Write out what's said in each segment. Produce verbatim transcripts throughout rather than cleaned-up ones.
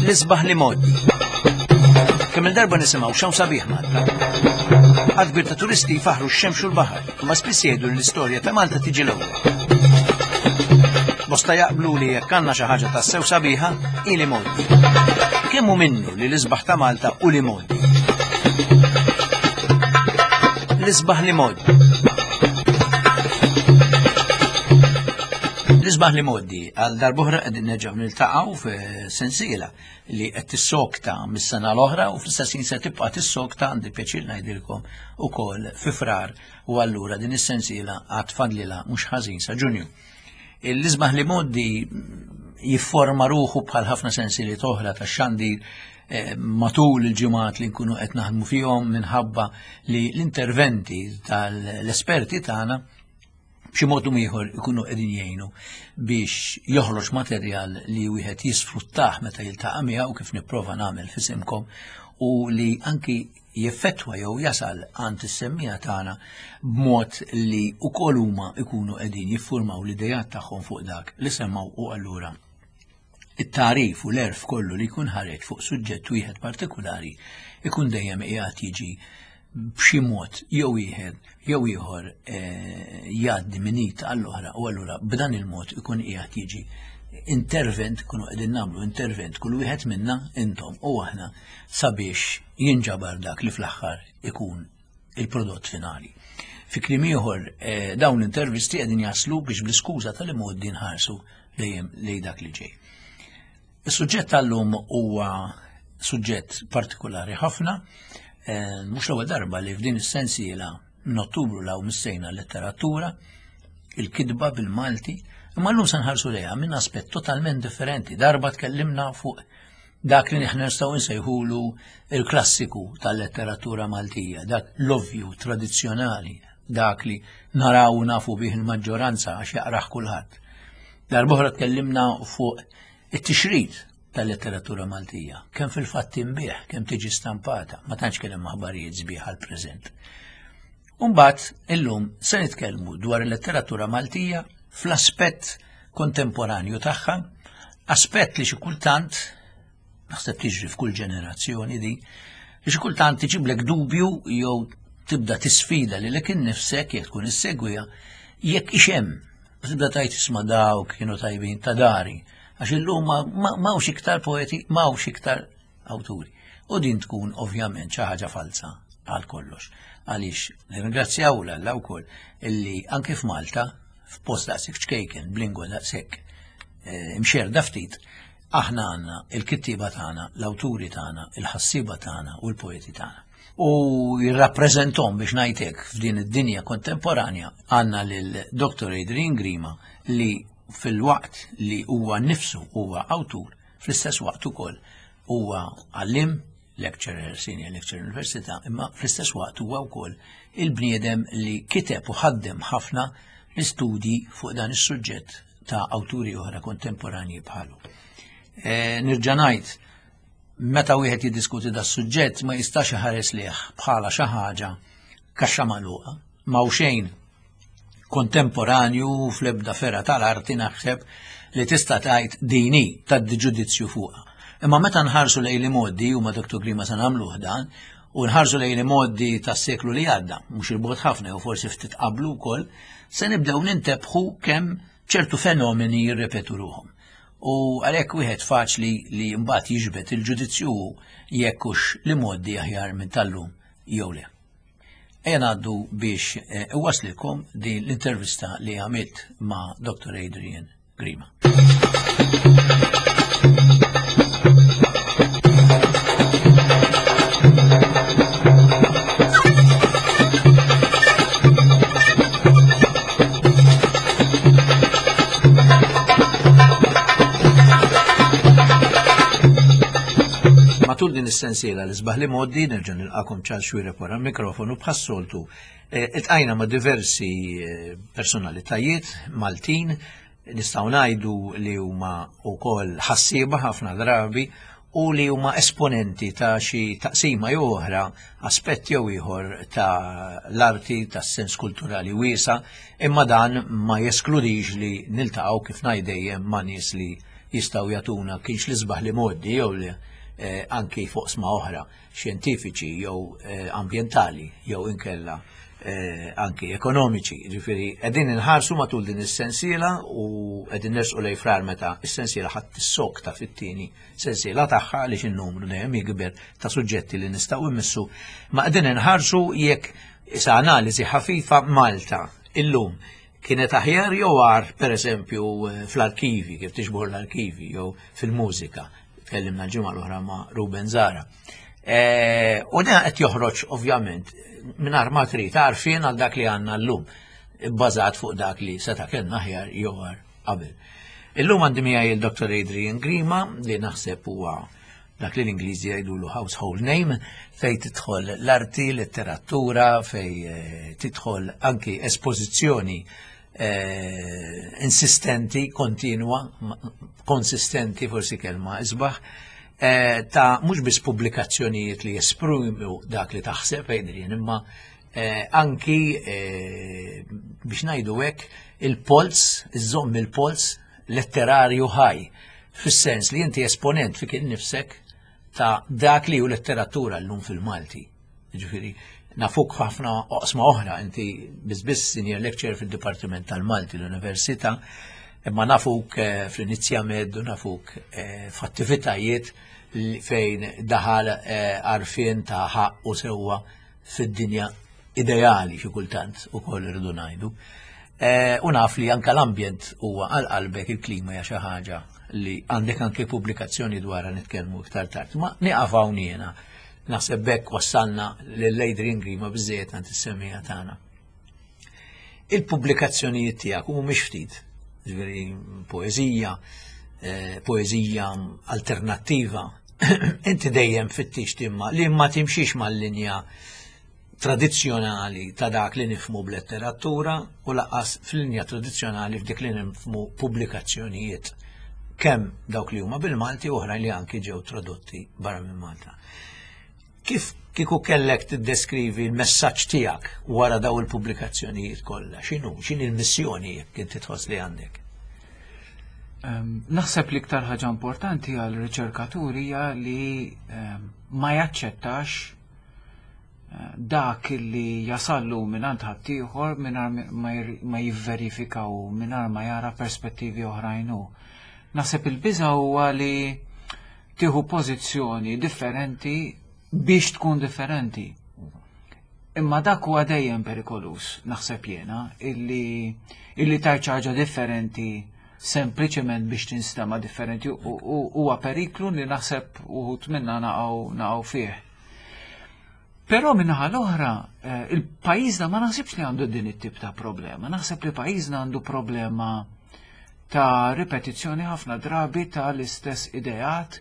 L-isbaħ l-imgħoddi. Kemm il-darba nisimgħu x'hawn sabiħ Malta. Għadd kbir ta' turisti jfaħru x-xemx u l-baħar, imma spiss jgħidu li l-istorja ta' Malta tiġi l-ewwel. Bosta jaqblu li jekk għandna xi ħaġa tassew sabiħa, hi l-imgħoddi. Kemm hu minnu li l-isbaħ ta' Malta u l-imgħoddi? L-isbaħ l-imgħoddi. L-isbaħ l-imgħoddi għal darb'oħra qegħdin nerġgħu niltaqgħu f'sensiela li qed tissokta mis-sena l-oħra u fl-istess ħin se tibqa' tissokta, għandi pjaċir ngħidilkom, ukoll fi Frar, u allura din is-sensiela għad fadlilha mhux ħażin sa Ġunju. L-isbaħ l-imgħoddi jifforma ruħu bħal ħafna sensiliet oħra tax-xandir eh, matul il-ġimgħat li nkunu qed naħdmu fihom, minħabba li l-interventi tal-esperti tagħna b'xi mod ieħor ikunu qegħdin jgħinu biex joħroġ materjal li wieħed jisfruttah meta jiltaqa' miegħu, kif nipprova nagħmel f'isimkom, u li anki jeffettwa jew jasal għand is-semmija tagħna b'mod li wkoll huma ikunu qegħdin jiffurmaw l-idejat tagħhom fuq dak li semmaw, u allura it-tarif u l-erf kollu li jkun ħareġ fuq suġġett wieħed partikolari ikun dejjem qiegħed jiġi b'xi mod jew wieħed jew ieħor, eh, jgħaddi minn id għall-oħra, u allura b'dan il-mod ikun qiegħed jiġi intervent, kunu qegħdin nagħmlu intervent kull wieħed minna, intom u aħna, sabiex jinġabar dak li fl-aħħar ikun il-prodott finali. Fi kliem ieħor, eh, dawn l-intervisti qegħdin jaslu biex bl-iskuża tal-imgħoddi nħarsu dejjem lejn dak li ġej. Is-suġġett tal-lum huwa suġġett partikolari ħafna, eh, mhux l-ewwel darba li f'din is-sensiela minn Ottubru 'l hawn missejna letteratura, il-kitba bil-Malti, imma llum se nħarsu lejha minn aspett totalment differenti. Darba tkellimna fuq dak li aħna nistgħu nsejħulu il-klassiku tal-letteratura Maltija, dak l-ovvju tradizzjonali, dak li naraw nafu bih il-maġġoranza għax jaqrah kulħadd. Darb'oħra tkellimna fuq it-tixrid tal-letteratura Maltija, kemm fil-fatt tinbiegħ, kemm tiġi stampata, ma tantx kien hemm aħbarijiet sbieħ għall-preżent. Umbagħad illum se nitkellmu dwar il-letteratura Maltija fl-aspett kontemporanju tagħha, aspett li xi kultant, naħseb tiġri f'kull ġenerazzjoni di, li xi kultant tiġiblek dubju jew tibda tisfida lilek innifsek jekk tkun issegwiha, jekk hix hemm. Tibda tgħid, "Isma', dawk kienu tajbin ta' dari, għax illum m'hawnx iktar poeti, m'hawnx iktar awturi." U din tkun ovvjament xi ħaġa falsa għal kollox. Għaliex nirringrazzjaw 'l Alla wkoll illi anke f'Malta, f'post daqshekk ċkejken, b'lingwa daqshekk eh, imxerda ftit, aħna għandna il-kittiba tagħna, l-awturi tagħna, il-ħassiba tagħna u l-poeti tagħna. U jirrappreżentahom, biex ngħidlek, f'din id-dinja kontemporanja għandna lil Doktor Adrian Grima, li fil-waqt li huwa nifsu huwa awtur, fl-istess waqt ukoll huwa għallim, lecturer, senior lecturer università, imma fl-istess waqt huwa wkoll il-bniedem li kiteb u ħaddem ħafna l-istudji fuq dan is-suġġett ta' awturi oħra kontemporanji bħalu. E, Nerġa' ngħid, meta wieħed jiddiskuti da suġġett ma jistax iħares lejh bħala xi ħaġa kaxxa magħluqa, ma xejn kontemporanju fl-ebda fergħa tal-arti naħseb li tista' tgħid dini ta' ġudizzju fuqha. Imma meta nħarsu lejn l-imgħoddi, u ma' Doktor Grima se nagħmluh dan, u nħarsu lejn l-imgħoddi tas-seklu li għadda, mhux 'il bogħod ħafna u forsi ftit qablu wkoll, se nibdew nintebħu kemm ċertu fenomeni jirrepetu ruħhom. U għalhekk wieħed faċli li mbagħad jiġbed il-ġudizzju jekk hux l-imgħoddi aħjar minn tal-lum jew le. Ejja ngħaddu biex eh, iwaslilkom din l-intervista li għamilt ma' Doktor Adrian Grima. Matul din is-sensiela L-Isbaħ l-Imgħoddi, nerġa' nilqakom, Charles Xuereb wara l-mikrofonu bħas-soltu. Eh, Iltqajna ma' diversi eh, personalitajiet Maltin, nistgħu ngħidu li huma wkoll ħassieba ħafna drabi u li huma esponenti ta' xi taqsima jew oħra, aspett jew ieħor ta' l-arti, tas-sens kulturali wiesa, imma dan ma jeskludix li niltaqgħu, kif ngħid dejjem, ma' nies li jistgħu jagħtuna kienx l-isbaħ li modi jew li eh, anki fuq sma oħra xjentifiċi jew eh, ambjentali jew inkella eh, anki ekonomiċi. Ġifieri qegħdin inħarsu matul din is-sensiela u qegħdin nersqu lejn Frar meta is-sensiela ħadd tissokta fit-tieni sensiela tagħha, għaliex in-numru dejjem jikber ta' suġġetti li nistgħu immissu. Ma qegħdin inħarsu jekk sa analiżi ħafifa Malta illum kienet aħjar jew agħar, pereżempju fl-arkivi, kif tiġbor l-arkivi jew fil-mużika. Tkellimna l-ġimgħa l-oħra ma' Ruben Zara. Eh, u dan qed joħroġ ovvjament mingħajr ma trid għarfien għal dak li għandna llum, bbażat fuq dak li seta' kellna aħjar jew agħar qabel. Illum għandi miegħi il-Dottor Adrian Grima, li naħseb huwa dak li l-Ingliżi jgħidulu household name, fej tidħol l-arti, letteratura, fej eh, tidħol anki espożizzjoni eh, insistenti, kontinwa, konsistenti forsi kelma isbaħ, eh, ta' mhux biss pubblikazzjonijiet li jesprimu dak li taħseb, Adrian, imma eh, anki eh, biex ngħidu hekk il-polz, iżomm il-polz letterarju ħaj, fis-sens li inti esponent fik innifsek ta' dak li hu letteratura llum fil-Malti. Ġifieri, nafuk ħafna oqsma oħra, inti biss senior lecturer fil-Dipartiment tal-Malti l-Università, imma nafuk eh, fl-Inizjamed u nafuk eh, f'attivitajiet li fejn daħal eh, għarfien ta' ħaq u sewwa fid-dinja ideali xi kultant ukoll irridu ngħidu. Eh, U naf li anka l-ambjent huwa għal qalbek, il-klima hija xi ħaġa li għandek anke pubblikazzjoni dwarha, nitkellmu iktar tard. Ma nieqaf hawn jiena. Naħseb bekk wassalna lil Adrian Grima biżejjed għand is-semmiegħa tagħna. Il-pubblikazzjonijiet tiegħek mhumiex ftit, ġifieri poeżija, eh, poeżija alternattiva. Inti dejjem fittix timma li ma timxix mal-linja tradizzjonali ta' dak li nifhmu b'letteratura u lanqas fil-linja tradizzjonali f'dik li nifhmu pubblikazzjonijiet. Kemm dawk li huma bil-Malti u oħrajn li anki ġew tradotti barra minn Malta. Kif kieku kellek tiddeskrivi l-messaġġ tiegħek wara daw il-pubblikazzjonijiet kollha? X'inhu? X'inhi l-missjoni jekk inti tħoss li għandek? Em, Naħseb li iktar ħaġa importanti għal riċerkatur hija li em, ma jaċċettax eh, dak li jasallu minn għand ħaddieħor mingħajr ma jir- ma jivverifika u mingħajr ma jara perspettivi oħrajn hu. Naħseb il-biża huwa li tieħu pożizzjoni differenti biex tkun differenti. Imma dak huwa dejjem perikolus, naħseb jiena, illi illi tajt ħaġa differenti sempliċement biex tinstema differenti u- u- huwa periklu li naħseb uħud minna naqgħu naqgħu fih. Però minnaħa l-oħra, eh, il-pajjiżna ma naħsibx li għandu din it-tip ta' problema. Naħseb li pajjiżna għandu problema ta' ripetizzjoni ħafna drabi ta' l-istess ideat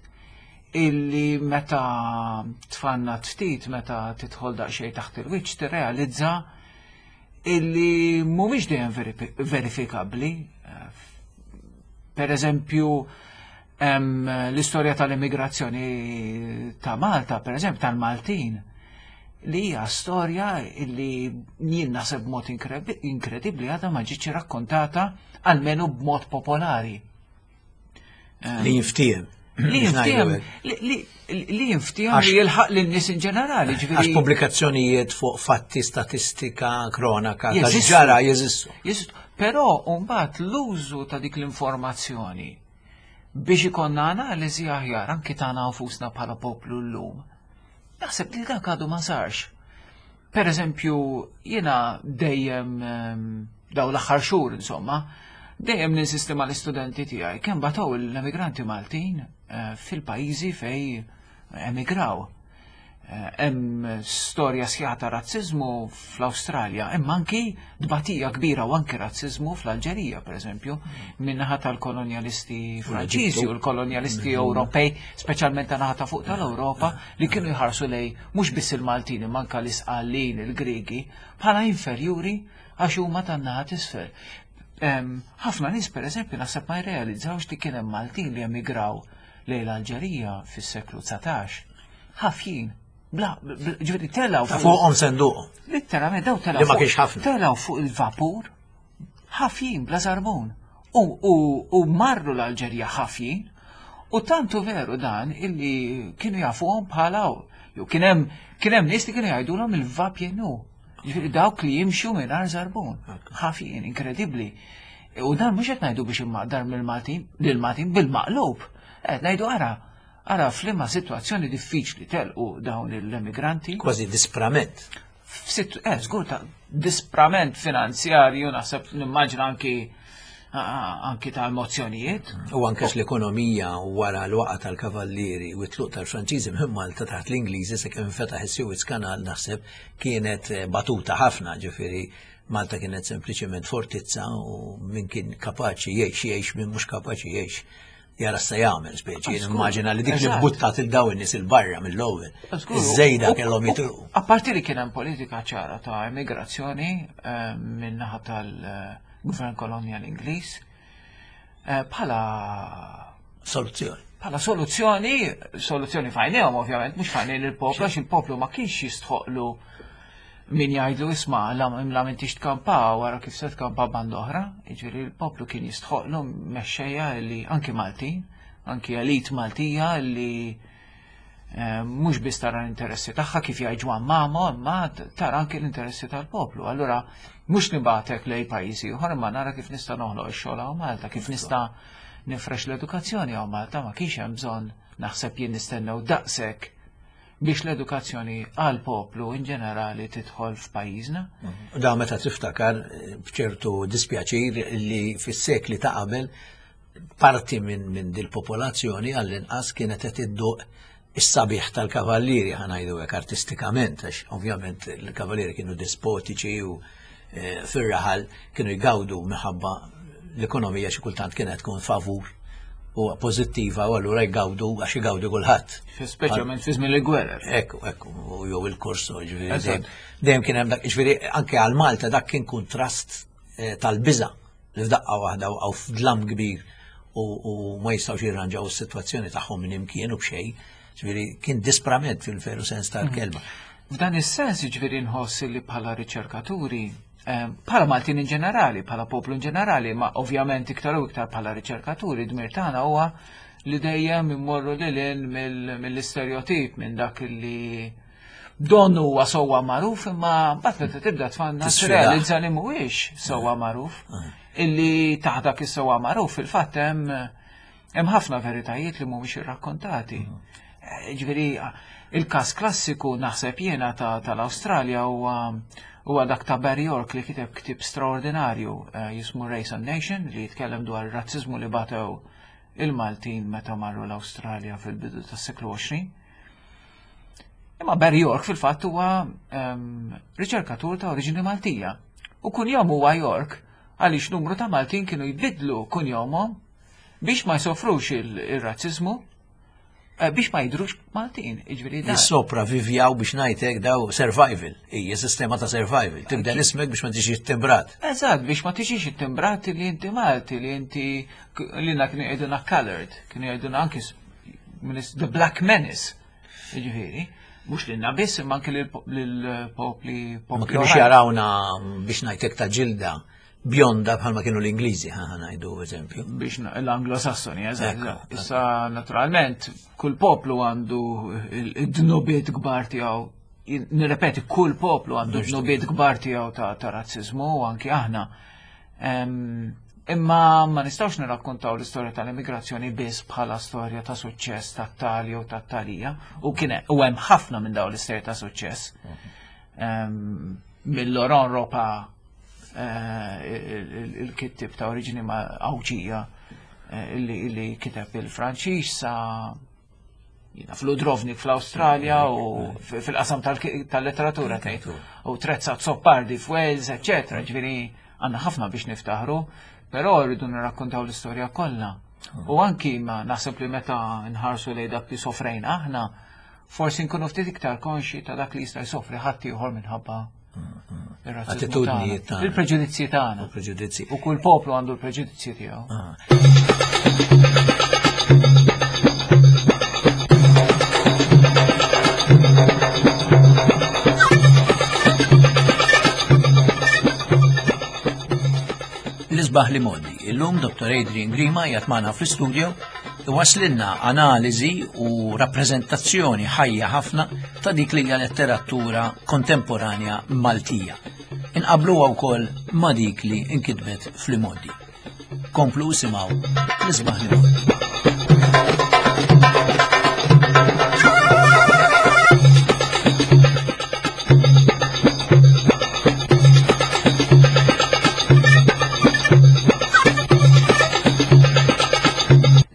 illi meta tfanna ftit, meta tidħol daqsxejn taħt il-wiċċ, tirrealizza illi mhumiex dejjem verifi- verifikabbli. Eh, Per eżempju, hemm l-istorja tal-immigrazzjoni ta' Malta, per eżempju, tal-Maltin, li hija storja illi jien naħseb b'mod inkrebi- inkredibbli għadha ma ġietx rakkontata, almenu b'mod popolari. Li jinftiehem. Li Biex ngħidu jinftiehem, hekk. li- li li jinftiehem Għax- li jilħaq lin-nies in ġenerali, Għax ġifieri. pubblikazzjonijiet fuq fatti, statistika, kronaka, ta' Jeżistu. ġara jeżistu. Jeżistu. Però mbagħad l-użu ta' dik l-informazzjoni biex ikonna analiżi aħjar anki tagħna nfusna bħala poplu llum. Naħseb li dak għadu ma sarx. Per eżempju, jiena dejjem ehm, daw l-aħħar xhur insomma, dejjem ninsisti mal-istudenti tiegħi kemm bataw l-emigranti Maltin eh, fil-pajjiżi fej emigraw. Eh, Hemm storja sħiħa ta' razziżmu fl-Awstralja, imma anki tbatija kbira u anki razziżmu fl-Alġerija, per eżempju, min-naħa tal-kolonjalisti Franċiżi u l-kolonjalisti Ewropej, speċjalment ta' naħa ta' fuq tal-Ewropa, li kienu jħarsu lej mhux biss il-Maltin, imma anke l-Isqallin, il-Griegi, bħala inferjuri għax huma tan-naħa t'isfel. Em, Ħafna nies, per eżempju, naħseb ma jrealizzawx li kien hemm Maltin li emigraw lejn l-Alġerija fis-seklu dsatax. Ħafjin. Bla, bla- ġifieri telgħu Ta' fuqhom senduq. Literalment daw telgħu Li ma fuq- kienx ħafna. Telgħu fuq il-vapur, ħafjin bla żarbun. U, u, u marru l-Alġerija ħafjin, u tantu veru dan illi kienu jafuhom bħala, jew kien hemm kien hemm nies li kienu jgħidulhom il-va-pieds nus. Ġifieri dawk li jimxu mingħajr żarbun. Ħafjin, inkredibbli. U dan mhux qed ngħidu biex immaqdar mill-Maltin, lill-Maltin bil-maqlub. Qed ngħidu ara, ara f'liema sitwazzjoni diffiċli telqu dawn l-emigranti. Kważi disprament. F'situ, eh, żgur ta' disprament finanzjarju, naħseb nimmaġina anki anki ta' emozzjonijiet. U anke l-ekonomija wara l-waqa tal-Kavallieri u t-tluq tal-Franċiżi minn Malta taħt l-Ingliżi sakemm infetaħ is-Suez Canal naħseb kienet eh, batuta ħafna, ġifieri Malta kienet sempliċement fortizza u min kien kapaċi jgħix jgħix, min mhux kapaċi jgħix jara se jagħmel speċi. Żgur. Immaġina li dik li Eżatt. buttat il daw in-nies il-barra mill-ewwel. Żgur. Iż-żejda U- kellhom u- jitilqu. Apparti li kien hemm politika ċara ta' emigrazzjoni eh, minn naħa tal-Gvern Kolonjali Ingliż, eh, bħala Soluzzjoni. bħala soluzzjoni, soluzzjoni f'għajnejhom ovvjament, mhux f'għajnejn il-poplu, għax il-poplu ma kienx jistħoqlu min jgħidlu isma' la la m'intix tkampa wara kif se tkampa band oħra, jiġifieri il-poplu kien jistħoqlu mexxejja li anki Maltin, anki elit Maltija li eh, mhux biss tara l-interessi tagħha kif jgħid Juann Mamo, imma tara anki l-interessi tal-poplu. Allura mhux nibgħatek lejn pajjiżi ieħor imma nara kif nista' noħloq ix-xogħol hawn Malta, kif nista' nifrex l-edukazzjoni hawn Malta, ma kienx hemm bżonn naħseb jien nistennew daqshekk biex l-edukazzjoni għal poplu in ġenerali tidħol f'pajjiżna. U da meta tiftakar eh, b'ċertu dispjaċir li fis-sekli ta' qabel parti minn min dil-popolazzjoni għall-inqas kienet qed idduq is-sabiħ tal-kavallieri ħa ngħidu hekk artistikament, għax ovvjament il-kavallieri kienu despotiċi u eh, fir-raħal kienu jgawdu minħabba l-ekonomija xi kultant kienet tkun favur u pożittiva u allura jgawdu għax jgawdu kulħadd. Speċjalment fi żmien il-gwerer. Ekku, ekku, u jew il-korso, ġifieri. Eżatt. Dejjem dejjem kien hemm dak, ġifieri anke għal Malta dak kien kontrast eh, tal-biża li f'daqqa waħda waqgħu f'dlam kbir u, u ma jistgħux jirranġaw is-sitwazzjoni tagħhom minn imkien u b'xejn. Ġifieri kien disprament fil-veru sens tal-kelma. F'dan is-sens jiġifieri nħoss li bħala riċerkaturi, eh, bħala Maltin in ġenerali, bħala poplu in ġenerali, ma ovvjament iktar u iktar bħala riċerkaturi, dmir tagħna huwa li dejjem immorru lil hinn mill- mill-istereotip minn dak li donnu huwa sewwa magħruf imma mbagħad meta tibda tfanna Tisfidah. tirrealizza li mhuwiex sewwa magħruf. Illi taħt dak is-sewwa magħruf fil-fatt hemm hemm ħafna veritajiet li mhumiex irrakkontati. Eh, Ġifieri il-każ klassiku naħseb jiena ta' tal-Awstralja huwa huwa dak ta' Barry York li kiteb ktib straordinarju eh, jismu Race and Nation li jitkellem dwar ir-razzizmu li batew il-Maltin meta marru l-Awstralja fil-bidu tas-seklu għoxrin. Imma Barry York fil-fatt huwa em, riċerkatur ta' oriġini Maltija. U kunjom huwa York għaliex numru ta' Maltin kienu jbidlu kunjomhom biex ma jsofrux il- il-razzizmu, eh, biex ma jidrux Maltin. Jiġifieri dan. Jissopravvivjaw biex ngħidlek daw survival, hija sistema ta' survival. Tibdel ismek biex ma tiġix timbrat. Eżatt, biex ma tiġix ittimbrat li inti Malti, li inti li na kienu jgħiduna colored, kienu jgħiduna anki s- minis- the Black Menace. Jiġifieri, mhux lilna biss imma anki lill-popli Ma popli kienux oħrajn. jarawna biex ngħidlek ta' ġilda bjonda bħalma kienu l-Ingliżi, ħa ngħidu eżempju. Biex na- l-Anglo-Sassoni, eżatt. Ekku, eżatt. Issa, naturalment, kull poplu għandu il-dnubiet kbar tiegħu. Jien- Nirrepeti, kull poplu għandu dnubiet kbar tiegħu ta' ta' razzizmu u anki aħna. Em, Imma ma nistgħux nirrakkontaw l-istorja tal-immigrazzjoni biss bħala storja ta' suċċess tat-Tali u tat-Talija u kien u hemm ħafna minn dawn l-istorja ta' suċċess. Em, Mill-Laurent Ropa eh, il- il- il-kittib ta' oriġini ma' Għawdxija eh, illi illi kiteb il-Franċiż sa jiena fl-Udrovnik fl-Awstralja u f- fil-qasam tal- tal-letteratura tgħid. U Trezza Azzopardi f'Wales, eċetera. Ġifieri għandna ħafna biex niftaħru, però rridu nirrakkontaw l-istorja kollha. U anki ma naħseb li meta nħarsu lejn dak li sofrejna aħna, forsi nkunu ftit iktar konxi ta' dak li jista' jsofri ħadd ieħor minħabba ir-razziżmu Attitudnijiet tagħna. tagħna. Il-preġudizzji tagħna. U preġudizzji. U kull poplu għandu l-preġudizzji tiegħu. Ah. L-isbaħ li modi, Illum Dottor Adrian Grima qiegħed magħna fl-istudio iwasslilna analiżi u rappreżentazzjoni ħajja ħafna ta' dik li hija letteratura kontemporanja Maltija. Inqabluha wkoll ma' dik li nkitbet fl-imgħoddi. Komplu isimgħu l-isbaħ l-imgħoddi.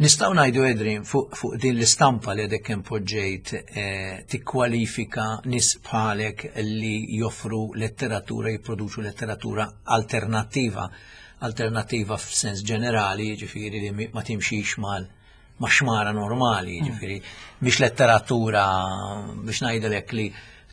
Nistgħu ngħidu, Adrian, fuq fu din l-istampa li għadek kemm poġġejt, eh, tikkwalifika nies bħalek li joffru letteratura, jipproduċu letteratura alternattiva, alternattiva f'sens ġenerali, ġifieri li ma timxix mal ma xmara normali, ġifieri mhix letteratura biex ngħidlek li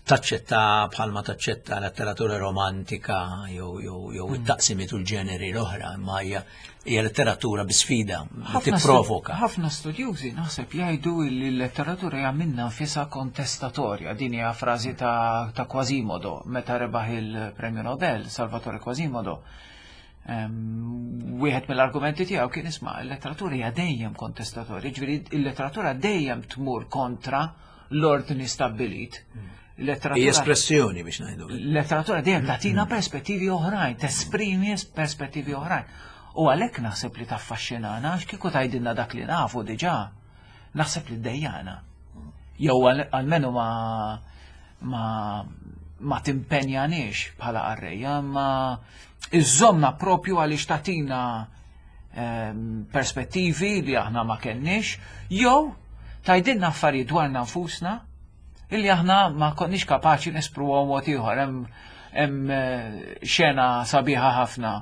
taċċetta bħalma taċċetta letteratura romantika jew jew jew it-taqsimiet u l-ġeneri l-oħra, imma hija hija letteratura bi sfida, li tipprovoka. Ħafna studjużi naħseb jgħidu li l-letteratura hija minnha nfisha kontestatorja. Din hija frażi ta', ta Quasimodo meta rebaħ il-Premju Nobel, Salvatore Quasimodo. Um, wieħed mill-argumenti tiegħu kien isma' l-letteratura hija dejjem kontestatorja, ġifieri l-letteratura dejjem tmur kontra l-ordni stabbilit. Hija espressjoni biex ngħidu. L-letteratura dejjem tagħtina perspettivi oħrajn, tesprimi perspettivi oħrajn. U għalhekk naħseb li taffaxxinana, għax kieku tgħidilna dak li nafu diġà, naħseb li ddejjana. Jew almenu ma ma ma timpenjaniex bħala qarrejja, ma iżżomna propju għaliex tagħtina perspettivi li aħna ma kenniex, jew tgħidilna affarijiet dwarna nfusna illi aħna ma konniex kapaċi nespruhom mod ieħor. Hemm xena sabiħa ħafna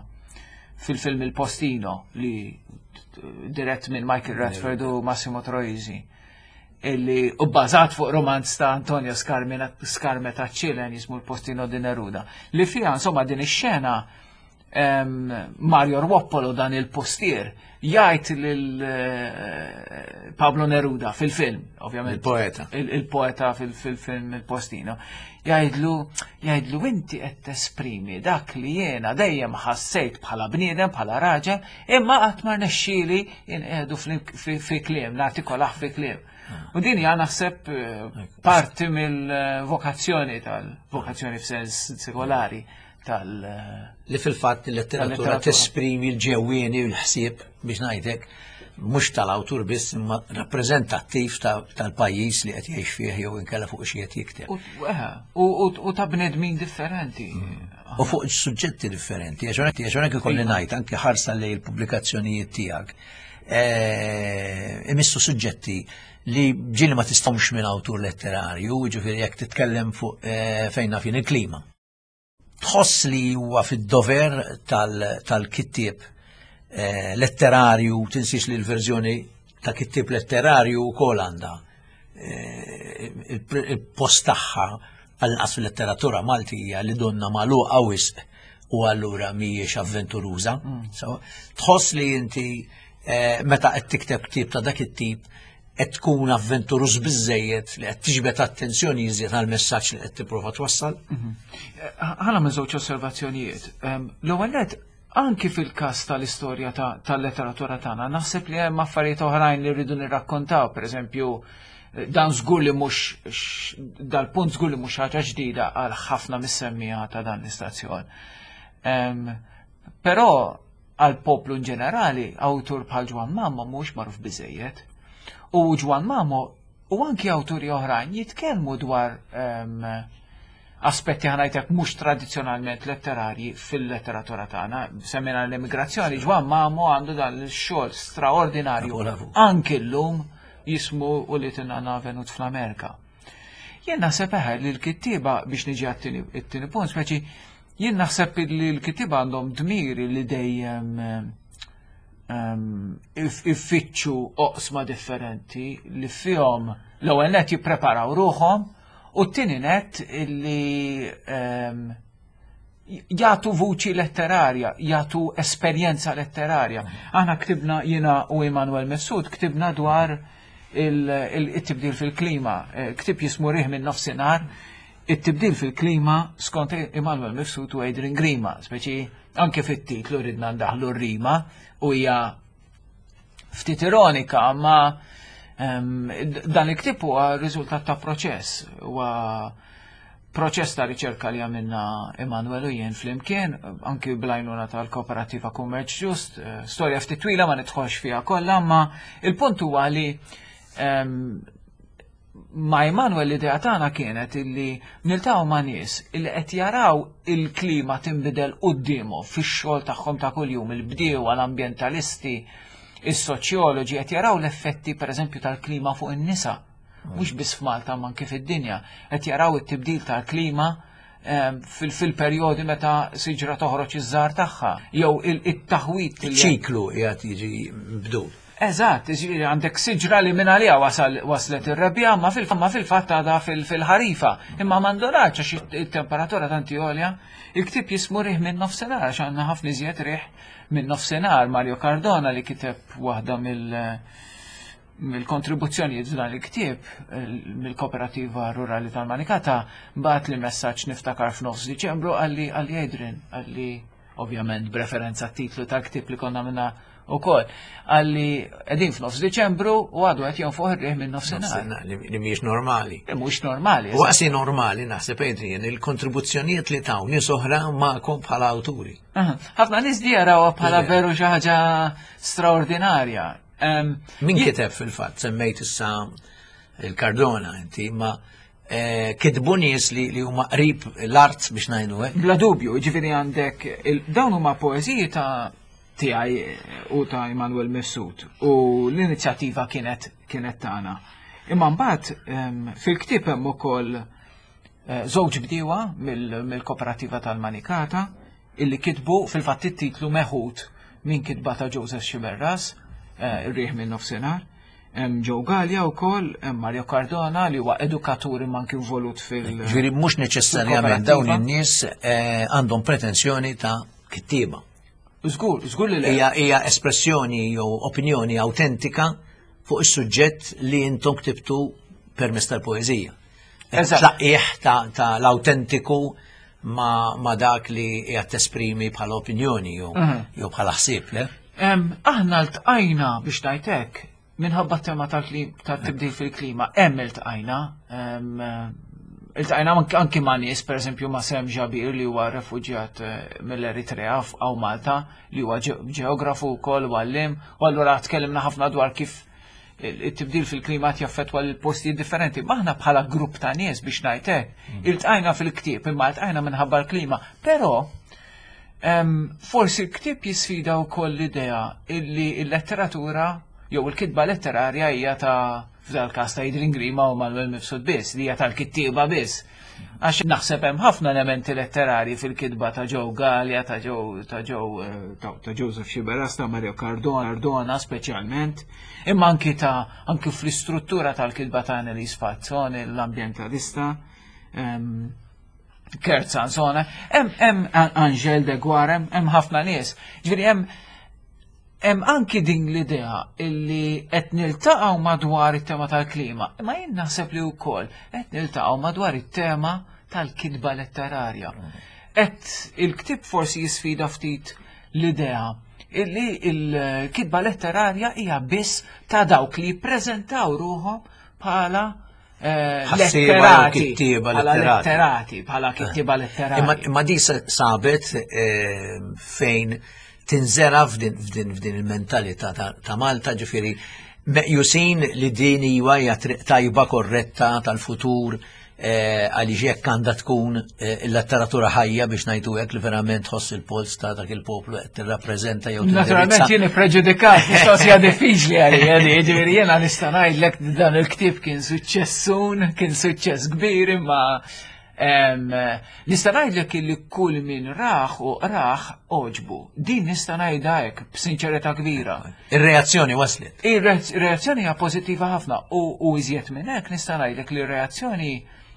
fil-film Il Postino li dirett minn Michael Radford u Massimo Troisi, illi u bbażat fuq romanz ta' Antonio Scarmeta Ċilen jismu Il Postino di Neruda, li fiha insomma din ix-xena Mario Ruoppolo, dan il-postier, jgħid lil Pablo Neruda fil-film, ovvjament. Il-poeta. Il-poeta fil-film Il Postino. Jgħidlu, jgħidlu inti qed tesprimi dak li jiena dejjem ħassejt bħala bniedem, bħala raġel, imma qatt ma rnexxieli inqiegħdu fi kliem, nartikolah fi kliem. U din hija naħseb parti mill-vokazzjoni tal-vokazzjoni f'sens sekolari tal Li fil-fatt il-letteratura tesprimi l-ġewwieni u l-ħsieb, biex ngħidlek, mhux tal-awtur biss, imma rappreżentattiv tal-pajjiż li qed jgħix fih jew inkella fuq xi qed jikteb. U ta' bnedmin differenti. U fuq suġġetti differenti, għax hawnhekk ikolli ngħid anke ħarsa lejn il-pubblikazzjonijiet tiegħek. Imissu suġġetti li ġieli ma tistgħux minn awtur letterarju, ġifieri jekk titkellem fuq fejn naf jien il-klima. Tħoss li huwa fid-dover tal-kittieb letterarju, tinsiex li l-verżjoni ta' kittieb letterarju wkoll għandha il-post tagħha għall-inqas fil-letteratura Maltija li donna magħluqa wisq u allura mhijiex avventuruża. Tħoss li inti meta qed tikteb ktieb ta' dak it-tip qed tkun avventuruż biżejjed li qed tiġbed attenzjoni iżjed għall-messaġġ li qed tipprova twassal? Ħa nagħmel żewġ osservazzjonijiet. L-ewwel nett, anki fil-każ tal-istorja tal-letteratura tagħna, naħseb li hemm affarijiet oħrajn li rridu nirrakkontaw, pereżempju, dan żgur li mhux dal-punt żgur li mhux ħaġa ġdida għal ħafna mis-semmija ta' dan l-istazzjon. Però għal poplu in ġenerali, awtur bħal Ġwann Mamo mhux magħruf biżejjed. U Ġwann Mamo u anki awturi oħrajn jitkellmu dwar aspetti, ħa ngħidlek, mhux tradizzjonalment letterarji fil-letteratura tagħna. Semmejna l-emigrazzjoni, Ġwann Mamo għandu dan il-xogħol straordinarju anki llum jismu U li tinna venut fl-Amerika. Jien naħseb eħe li l-kittieba, biex niġi għat-tieni punt, speċi jien naħseb li l-kittieba għandhom dmiri li dejjem ifittxu oqsma differenti li fihom l-ewwel nett jippreparaw ruħhom u t-tieni nett li jagħtu vuċi letterarja, jagħtu esperjenza letterarja. Aħna ktibna, jiena u Immanuel Mifsud, ktibna dwar il-tibdil fil-klima, ktieb jismu Riħ minn Nofsinhar, it-tibdil fil-klima skont Immanuel Mifsud u Adrian Grima, speċi Anke fit-titlu ridna ndaħlu r-rima u hija ftit ironika, ma dan il-ktieb huwa riżultat ta' proċess, huwa proċess ta' riċerka li għamilna Emanuel u jien flimkien, anki bl-għajnuna tal-Kooperativa Kummerċ Ġust, eh, storja ftit twila ma nidħolx fiha kollha, ma il-punt huwa li ma' Emanuel l-idea tagħna kienet illi niltaqgħu ma' nies illi qed jaraw il-klima tinbidel quddiemhom fix-xogħol tagħhom ta' kuljum, il-bdiewa, l-ambjentalisti, is-soċjoloġi qed jaraw l-effetti pereżempju tal-klima fuq in-nisa mhux biss f'Malta ma anke fid-dinja, qed jaraw it-tibdil tal-klima ehm, fil-perjodi meta siġra toħroġ iż-żahar tagħha, jew it-taħwit. Ċiklu qiegħed jiġi mbdul. Eżatt, jiġifieri għandek siġra li minn għalija waslet ir-rebbiegħa, ma fil-fatt għadha fil-ħarifa. Imma m'għandhomx għax it-temperatura tant għolja, il-ktieb jismu Riħ minn nofsinhar għax għandna ħafna iżjed riħ minn nofsinhar. Mario Cardona li kiteb waħda mill- mill-kontribuzzjonijiet f'dan il-ktieb mill-Kooperativa Rurali tal-Manikata bagħatli messaġġ niftakar f'nofs Diċembru qalli qalli Adrian qalli ovvjament b'referenza titlu tal-ktieb li konna minna u koll. Qalli qegħdin f'nofs Diċembru u għadu qed jonfoħ ir-riħ minn nofsinhar. Li mhijiex normali. Mhux normali. U qasi normali naħseb Adrian il-kontribuzzjonijiet li taw nies oħra magħkom bħala awturi. Ħafna nies di jarawha bħala veru xi ħaġa straordinarja. Min kiteb fil-fatt, semmejt issa il-Cardona inti, ma eh, kitbu nies li li huma qrib l-art biex ngħidu hekk. Bla dubju, ġifieri għandek dawn huma poeżiji ta' tiegħi u ta' Emanuel Mifsud u l-inizjattiva kienet kienet tagħna. Imma mbagħad fil-ktieb hemm ukoll eh, żewġ bdiewa mill-Kooperativa tal-Manikata illi kitbu fil-fatt it-titlu meħud minn kitba ta' Joseph Sciberras, eh, ir-riħ minn nofsinhar. Hemm Joe Gallia wkoll, hemm Mario Cardona li huwa edukatur imma anki involut fil- Ġifieri mhux neċessarjament dawn in-nies eh, għandhom pretensjoni ta' kittieba. Żgur, żgur li le. Hija hija espressjoni jew opinjoni autentika fuq is-suġġett li intom ktibtu permezz tal-poeżija. Eżatt. Tlaqqih ta' ta' l-autentiku ma, ma dak li qiegħed tesprimi bħala opinjoni jew jew bħala ħsieb, le? Em, Aħna ltqajna biex ngħidlek minħabba t-tema tal-klim- tal-tibdil fil-klima, hemm iltqajna. em, eh, Iltqajna anki- anki ma' nies, per eżempju ma' Sem Ġabir li huwa refuġjat eh, mill-Eritrea f'Aw Malta, li huwa ġe- ġeografu wkoll u għallim, u allura tkellimna ħafna dwar kif il- it-tibdil fil-klima jaffettwa l-postijiet differenti. Maħna bħala grupp ta' nies biex ngħidlek, iltqajna fil-ktieb, imma iltqajna minħabba l-klima. Però Em, forsi l-ktieb jisfida wkoll l-idea illi il-letteratura jew il-kitba letterarja hija ta' f'dal każ ta' Adrian Grima u Manuel Mifsud biss, li hija tal-kittieba biss. Għax naħseb hemm ħafna elementi letterari fil-kitba ta' Joe Gallia, ta' Joe ta' Joe eh, ta' ta' Joseph Sciberras, ta' Mario Cardona, Cardona speċjalment, imma anki ta' anki fl-istruttura tal-kitba ta' Annalise Fazzone, l-ambientalista. Em, Kurt Sansone, hemm hemm Angel de Guarem, hemm ħafna nies. Ġifieri hemm hemm anki din l-idea illi qed niltaqgħu madwar it-tema tal-klima, imma jien naħseb li wkoll qed niltaqgħu madwar it-tema tal-kitba letterarja. Qed il-ktieb forsi jisfida ftit l-idea illi il-kitba letterarja hija biss ta' dawk li jippreżentaw ruħhom bħala eh, Ħassieba jew letterati, kittieba bħala letterati. letterati, bħala kittieba letterati. Imma imma di sa- sabet eh, fejn tinżera f'din f'din f'din il-mentalità ta' ta' Malta ġifieri meqjusin li din iwa hija triq tajba korretta tal-futur eh, għaliex jekk għandha tkun eh, il-letteratura ħajja biex ngħidu hekk li verament tħoss il-pols ta' dak il-poplu qed tirrappreżenta jew Naturalment tindirizza. jien preġudikat, mistoqsija diffiċli għalija, di, ġifieri jiena nista' ngħidlek dan il-ktieb kien suċċessun, kien suċċess kbir, imma em, nista' ngħidlek illi kull min raħ u raħ għoġbu. Din nista' ngħidha hekk b'sinċerità kbira. Ir-reazzjoni waslet. Ir-reazzjoni hija pożittiva ħafna u u iżjed minn hekk nista' ngħidlek li r-reazzjoni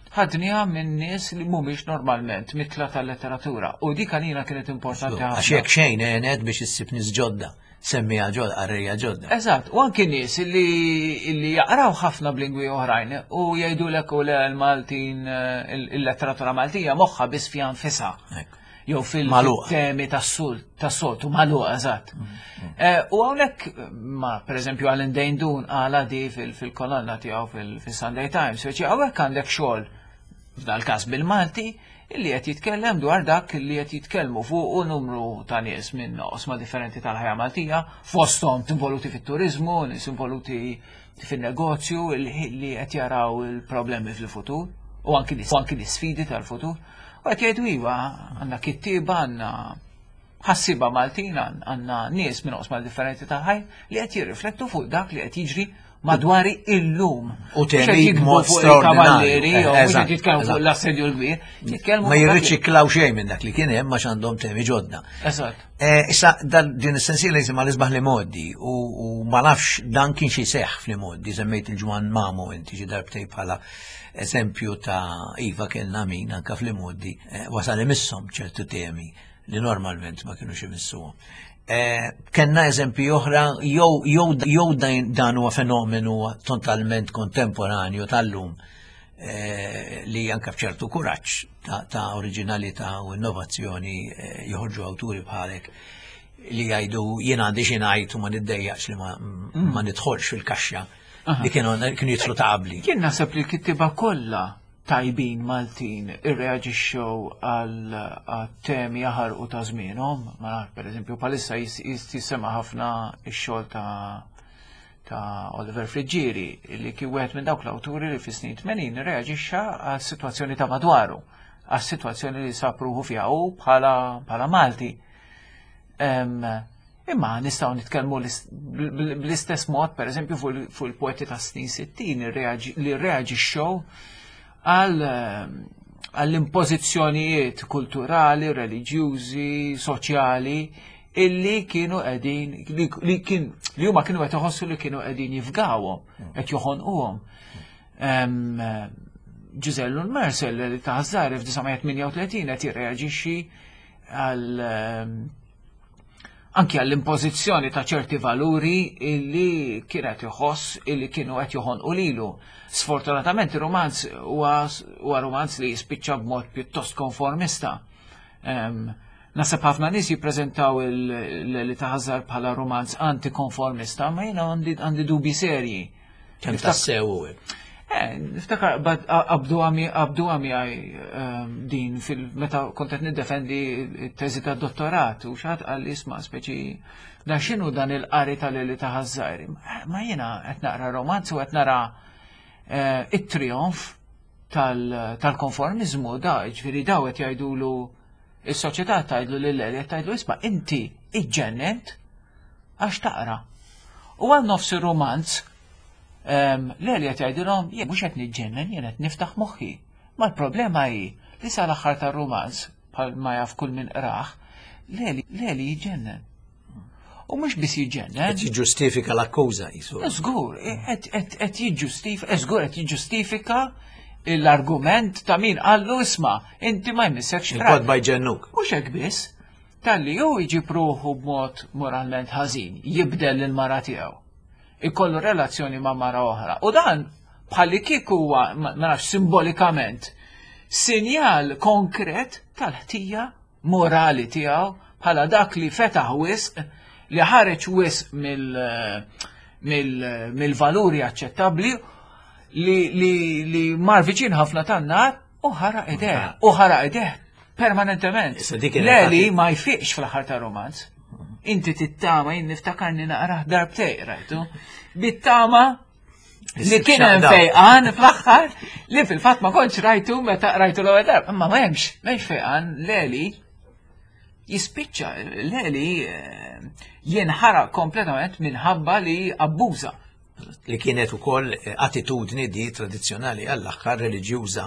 ħadniha minn nies li mhumiex normalment mitla tal-letteratura u dik għalina kienet importanti Għax ħafna. jekk xejn għenet biex issib nies ġodda, semmija ġodda, qarrejja ġodda. Eżatt, u anki nies li, li jaqraw ħafna b'lingwi oħrajn u jgħidulek u le l-Maltin, eh, il-letteratura Maltija moħħa biss fiha nfisha. Ekku. jew fil-temi tas-soltu magħluqa eżatt. U hawnhekk ma pereżempju Alan Deindun qala di fil-kolonna tiegħu fil-Sunday Times, speċi hawnhekk għandek xogħol f'dal każ bil-Malti illi qed jitkellem dwar dak li qed jitkellmu fuq numru ta' nies minn oqsma differenti tal-ħajja Maltija, fosthom involuti fit-turiżmu, nies involuti fin-negozju li qed jaraw il-problemi fil-futur u anki l-isfidi tal-futur. U qed jgħidu iva, għandna kittieba, għandna ħassiba Maltin, għandna nies minn oqsma differenti tal-ħajja li qed jirriflettu fuq dak li qed jiġri madwari illum. U temi mod straordinarju. Mhux jitkellmu fuq l-assedju l-kbir, jitkellmu. Ma jirriċiklaw xejn minn dak li kien hemm għax għandhom temi ġodda. Eżatt. Issa din is-sensiela jisimha l-isbaħ li modi u ma nafx dan kien xi seħħ fl-modi, semmejt il-Ġwan Mamu inti xi darbtej bħala eżempju ta' iva kellna min anke fl-modi wasal imisshom ċertu temi li normalment ma kienux imissuhom. Kenna eżempji oħra, jew dan huwa fenomenu totalment kontemporanju tal-lum li anke b'ċertu kuraġġ ta' oriġinalità u innovazzjoni joħorġu awturi bħalek li jgħidu jien għandi xi ngħid u ma niddejjaqx li ma nidħolx fil-kaxxa li kienu jidħlu ta' qabli. Jien naħseb li l-kittieba kollha tajbin Maltin irreaġixxew għal temi jaħarqu ta' żmienhom, ma nafx pereżempju bħalissa jisema' ħafna x-xogħol ta' ta' Oliver Friggieri li kien wieħed minn dawk l-awturi li fis-snin tmenin irreaġixxa għas-sitwazzjoni ta' madwaru, għas-sitwazzjoni li sab ruħu fiha hu bħala bħala Malti. Imma nistgħu nitkellmu bl-istess mod pereżempju fuq il-poeti tas-snin sittin li rreaġixxew għall-impożizzjonijiet kulturali, reliġjużi, soċjali illi kienu qegħdin li kien li huma kienu qed iħossu li kienu qegħdin jifgawhom, qed joħonquhom. Ġiżellu l-Mersel li ta' Ħaż-Żgħir f'disa' tmienja u tletin qed jirreaġixxi għal anki għall-impożizzjoni ta' ċerti valuri illi kienet iħoss illi kienu qed joħonqu lilu. Sfortunatament ir-romanz huwa romanz li jispiċċa b'mod pjuttost konformista. Naħseb ħafna nies jippreżentaw li ta' Ħaż-Żgħir bħala romanz antikonformista, ma jiena għandi dubi serji. Kemm tassew hu hekk? Niftakar qabdu għami għaj din meta kont qed niddefendi t-teżi tad-dottorat u xi ħadd qal li isma' speċi dan x'inhu dan il-qari tal-Leli ta' Ħaż-Żgħir. Ma jiena qed naqra romanz u qed nara it-trionf tal-konformiżmu da, ġifieri daw qed jgħidulu is-soċjetà tgħidlu lil Leli qed tgħidlu isma' inti iġġennent għax taqra. U għal nofs ir-romanz Leli qed jgħidilhom jien mhux qed niġġennen, jien qed niftaħ moħħi. Ma l-problema hi li sal-aħħar tar-romanz bħal ma jaf kull min qrah, Leli Leli jiġġennen. U mhux biss jiġġennen. Qed jiġġustifika l-akkuża jisu. Żgur, qed jiġġustifika, żgur qed jiġġustifika l-argument ta' min qallu isma' inti ma jmissekx. Il-kotba jġennuk. Mhux hekk biss, talli hu jġib ruħu b'mod moralment ħażin, jibdel lill-mara tiegħu. Ikollu relazzjoni ma' mara oħra. U dan bħalli kieku huwa, ma nafx simbolikament, sinjal konkret tal-ħtija morali tiegħu bħala dak li fetaħ wisq, li ħareġ wisq mill-valuri aċċettabbli, li mar viċin ħafna tan-nar u ħaraq ideh, u ħaraq ideh permanentement. Leli ma jfiqx fl-aħħar ta' romanz. Inti tittama, jien niftakarni naqrah darbtej, rajtu, bit-tama li kien hemm fejqan fl-aħħar li fil-fatt ma kontx rajtu meta rajtu l-ewwel darba, imma ma hemmx, m'hemmx fejqan. Leli jispiċċa, Leli jinħaraq kompletament minħabba li abbuża. Li kienet ukoll attitudni di tradizzjonali għall-aħħar reliġjuża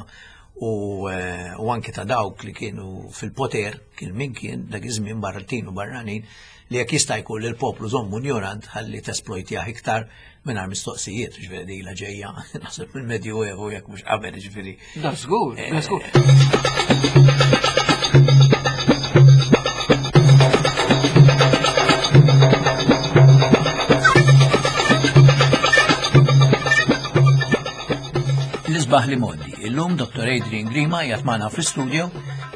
u anke ta' dawk li kienu fil-poter, kien min kien dak iż-żmien barratin u barranin, li jekk jista' jkun li l-poplu żommu ignorant ħalli tesplojtjah iktar mingħajr mistoqsijiet, ġifieri dila ġejja naħseb mill-Medjuevu jekk mhux qabel, ġifieri. Da żgur, da żgur. L-isbaħ li modi. Illum Dottor Adrian Grima qiegħed magħna fl-istudio.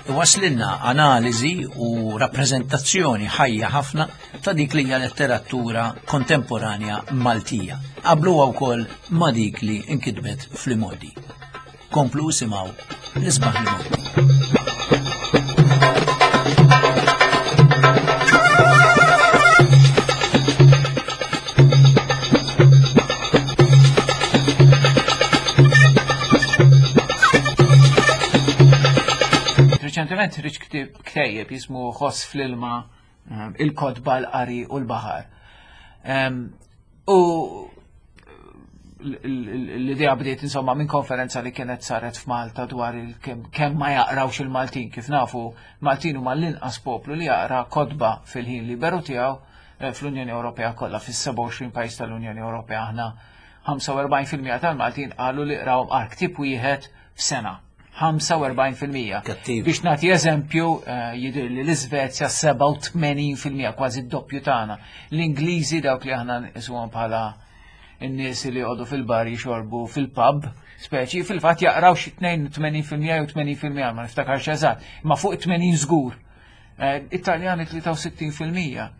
Waslilna analiżi u rappreżentazzjoni ħajja ħafna ta' dik li hija letteratura kontemporanja Maltija. Qabluha wkoll ma' dik li nkitbet fl-imgħoddi. Komplu simgħu l-isbaħ l-imgħoddi. Reċentement ħriġ ktejjeb jismu Ħoss fl-ilma, il-kotba, l-qari u l-baħar. U l-idea bdiet insomma minn konferenza li kienet saret f'Malta dwar kemm ma jaqrawx il-Maltin. Kif nafu, Maltin huma l-inqas poplu li jaqra kotba fil-ħin liberu tiegħu fl-Unjoni Ewropea kollha. Fis-sebgħa u għoxrin pajjiż tal-Unjoni Ewropea aħna ħamsa u erbgħin fil-mija tal-Maltin qalu li qraw qar ktieb wieħed f'sena. ħamsa u erbgħin fil-mija. Kattiv. Biex nagħti eżempju, jidher li l-Iżvezja sebgħa u tmenin fil-mija, kważi d-doppju tagħna. L-Ingliżi, dawk li aħna nqisuhom bħala n-nies li jqogħdu fil-bar jixorbu fil-pub, speċi, fil-fatt jaqraw xi tnejn u tmenin fil-mija jew tmenin fil-mija, ma niftakarx eżatt, imma fuq tmenin żgur. Italjani tlieta u sittin fil-mija.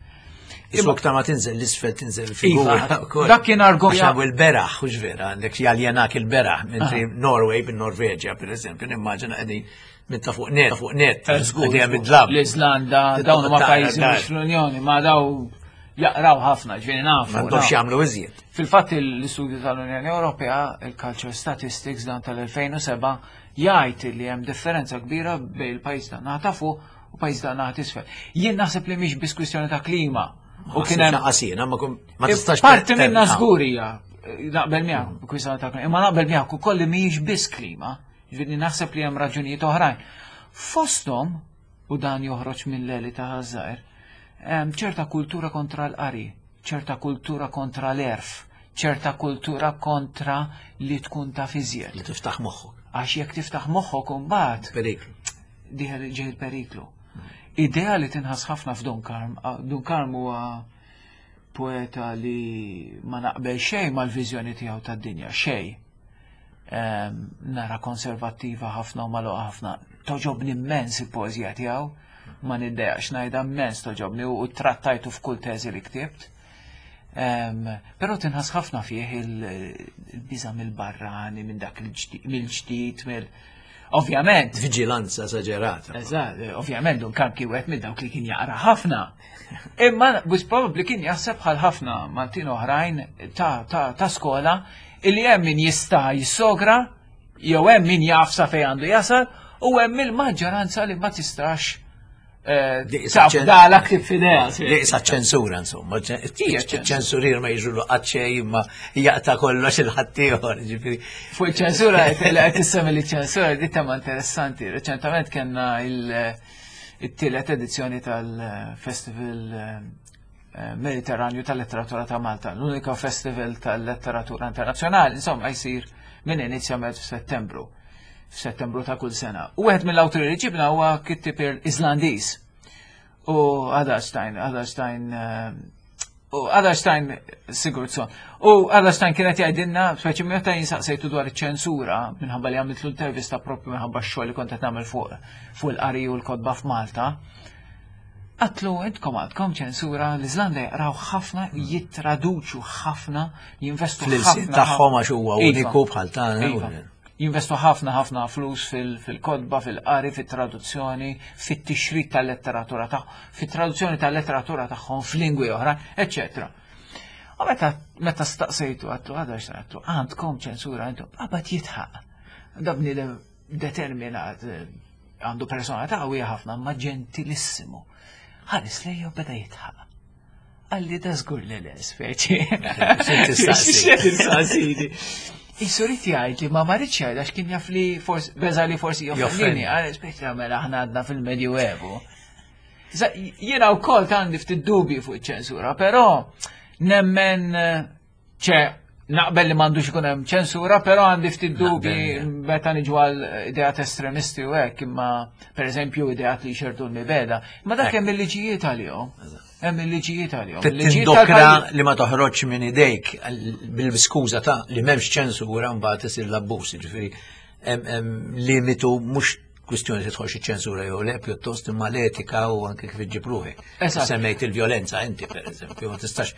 Isu aktar ma tinżel l-isfel tinżel figura Iva, wkoll. dak kien argument. Għax il-beraħ, hux vera, għandek jaljenak il-beraħ, mentri Norway, bin-Norveġja, per eżempju, nimmaġina qegħdin minn ta' fuq net, fuq net, Eh, żgur, qegħdin żgur. bid-dlam. L-Iżlanda, dawn huma Taqra pajjiżi dar. mhux fl-Unjoni, ma daw jaqraw ħafna, ġifieri nafu, M'għandhomx nafu. jagħmlu iżjed. Fil-fatt l-istudju tal-Unjoni Ewropea, il-Culture Statistics dan tal-elfejn u sebgħa, jgħid li hemm differenza kbira bejn il-pajjiż ta' naħa ta' fuq u pajjiż ta' naħa t'isfel. Jien naħseb li mhix biss kwistjoni ta' klima. U kien hemm Naħseb xaqasina, ma kum- ma tistax Parti te- minna te- żgur hija, naqbel miegħek kwistjoni ta' klima, imma naqbel miegħek ukoll li mhijiex biss klima, ġifieri naħseb li hemm raġunijiet oħrajn. Fosthom, u dan joħroġ minn Leli ta' Ħaż-Żgħir, hemm ċerta kultura kontra l-qari, ċerta kultura kontra l-erf, ċerta kultura kontra li tkun taf iżjed. Li tiftaħ moħħok. Għax jekk tiftaħ moħħok imbagħad Periklu. Diħel ġej il-periklu. Idea li tinħass ħafna f'Dun Karm. Ah, Dun Karm huwa poeta li ma naqbel xejn mal-viżjoni tiegħu tad-dinja, xejn. Ehm, nara konservattiva ħafna u magħluqa ħafna. Toġobni immens il-poeżija tiegħu, ma niddejaqx ngħidha, immens toġobni u trattajtu f'kull teżi li ktibt. Ehm, però tinħass ħafna fih il-, il-biża' mill-barrani, minn dak il-ġdid, mill-ġdid, mill Ovvjament. Vigilanza esagerata. Eżatt, ovvjament Dun Karm kien wieħed minn dawk li kien jaqra ħafna. Imma bus probabbli kien jaħseb bħal ħafna Maltin oħrajn ta', ta', ta' skola illi hemm min jista' jissogra, jew hemm min jaf sa fejn għandu jasal, u hemm il-maġġoranza li ma tistax, eh, Di issa taf ċen- dala ktib f'idea, sì. Li issa ċensura, insomma, ċen- Hija ċensura. ċensurir ma jiġru qatt xejn, imma jaqta' kollox il-ħaddieħor, ġifieri. Fuq ċensura, qed qed tissemmi li ċensura, di tema interessanti. Reċentament kellna il-, it-tielet edizzjoni tal-Festival, eh, Mediterranju tal-Letteratura ta' Malta, l-unika festival tal-letteratura internazzjonali, insomma, jsir minn inizjament f'Settembru, f'Settembru ta' kull sena. U wieħed mill-awturi li ġibna huwa kittieb Iżlandiż. U Aðalsteinn, Aðalsteinn, eh, u Aðalsteinn Sigurdsson. U Aðalsteinn kienet jgħidilna, speċi meta jinsaqsejtu dwar iċ-ċensura, minħabba li għamilt l-intervista propju minħabba x-xogħol li kont qed nagħmel fuq, fuq il-qari u l-kotba f'Malta. Għatlu, intkom għandkom ċensura, l-Iżlanda jaqraw ħafna, jittraduċu ħafna, jinvestu Fl-ilsien ħafna tagħhom għax huwa Iva. uniku bħal tagħna. Iva. Jinvestu ħafna, ħafna flus fil-, fil-kotba, fil-qari, fit-traduzzjoni, fit-tixrid tal-letteratura tagħhom, fit-traduzzjoni tal-letteratura tagħhom f'lingwi oħra, eċċetera. U meta, meta staqsejtu għatlu, għadha x'għatlu, għandkom ċensura intom, qabad jitħaq. Da bniedem determinat, għandu personalità qawwija ħafna, ma ġentilissimu. Ħares lejja u beda jitħaq. Għalli da żgur li le, speċi. X'inti tistaqsi? X'inti tistaqsini? Isurit jgħid li ma marritx jgħid għax kien jaf li forsi, beża li forsi joffendini. Joffendi. Għal, speċi mela aħna għadna fil-Medjuevu. Sa, jiena wkoll għandi ftit dubji fuq iċ-ċensura, però nemmen, ċe, naqbel li m'għandux ikun hemm ċensura, però għandi ftit dubji Naqbel, meta niġu għal ideat estremisti u hekk, imma pereżempju ideat li jxerdu l-mibeda. Ma dak Hekk. hemm il-liġijiet għalihom. Hemm il-liġijiet għalihom. Trid Il-liġijiet tindokra tal-pajjiż. li ma toħroġ minn idejk bil-skuża ta' li m'hemmx ċensura mbagħad isir l-abbuż, jiġifieri hemm hemm limitu mhux kwistjoni tidħolx iċ-ċensura jew le, pjuttost imma l-etika u anke kif iġġib ruħek. Eżatt. Semmejt il-vjolenza inti, pereżempju, ma tistax,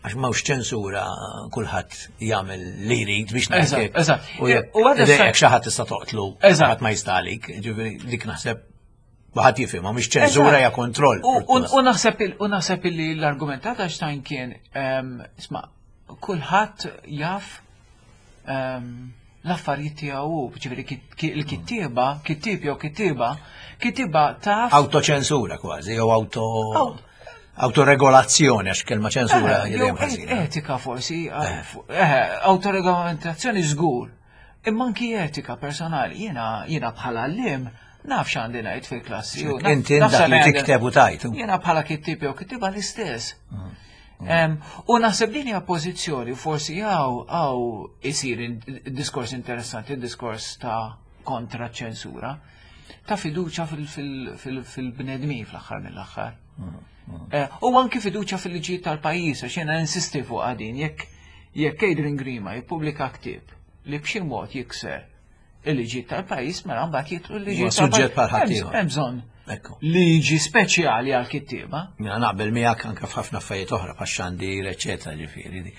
għax m'hawnx ċensura, kulħadd jagħmel li jrid biex Eżatt, ngħid. eżatt. U jekk U għada jekk xi ħadd tista' toqtlu, Eżatt. ħadd ma jistalik, ġifieri dik naħseb waħad jifhimha, mhix ċensura, hija kontroll. U- U u naħseb il- u naħseb li l-argument ta' Stein kien, ehm, isma', kulħadd jaf ehm, l-affarijiet tiegħu, ġifieri kit- ki- il-kittieba, kittieb jew kittieba, kittieba taf Autoċensura kważi, jew auto Aw- autoregolazzjoni, għax kelma ċensura Eh, hija jew dejjem ħażina. etika forsi, eh, autoregolamentazzjoni żgur. Imma anki etika personali, jiena jiena bħala għalliem naf x'għandi ngħid fil-klassi. u naf- Inti naf dak li x'għandi- tikteb u tajt. Jiena bħala kittieb jew kittieba l-istess. Em, U naħseb din hija pożizzjoni, forsi hawn hawn isir in- diskors interessanti, diskors ta' kontra ċensura, ta' fiduċa fil-bnedmin fl-aħħar mill-aħħar. Eh, U anki fiduċa fil-liġijiet tal-pajjiż, għax jiena insisti fuq din, jekk jekk Adrian Grima jippubblika ktieb li b'xi mod jikser il-liġijiet tal-pajjiż, mela mbagħad jitlu l-liġijiet Huwa suġġett bħal tal-pajjiż. ħaddieħor. Hemm bżonn Ekku. liġi speċjali għal kittieba. Jiena naqbel miegħek anke f'ħafna affarijiet oħra bħax-xandir, eċetera, ġifieri.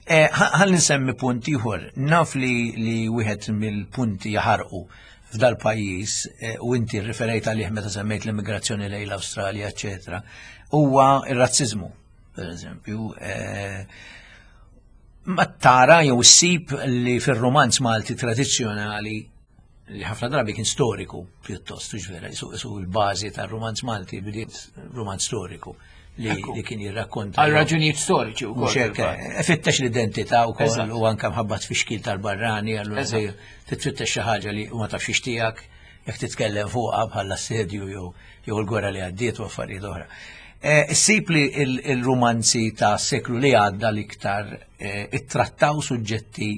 Eh, Ħalli nsemmi punt ieħor. Naf li li wieħed mill-punti jaħarqu f'dal pajjiż eh, u inti rriferejt għalih meta semmejt l-immigrazzjoni lejn l-Awstralja, eċetera, huwa ir-razziżmu, per eżempju. Eh, Ma tara jew issib li fir-romanz Malti tradizzjonali, li ħafna drabi kien storiku pjuttost, hux vera, su, su l-bażi tar-romanz Malti bdiet romanz storiku li, Ekku. li kien jirrakkonta. Għal raġunijiet storiċi Mhux wkoll. hekk, eh, fittex l-identità wkoll Eżatt. u anke mħabba tfixkil tal-barrani, allura Eżatt. dejjem titfittex xi ħaġa li ma tafx tiegħek jekk titkellem fuqha bħala assedju jew jew l-gwerra li għaddiet u affarijiet oħra. Eh, Issib li il- il-romanzi ta' seklu li għadda l-iktar eh, ittrattaw suġġetti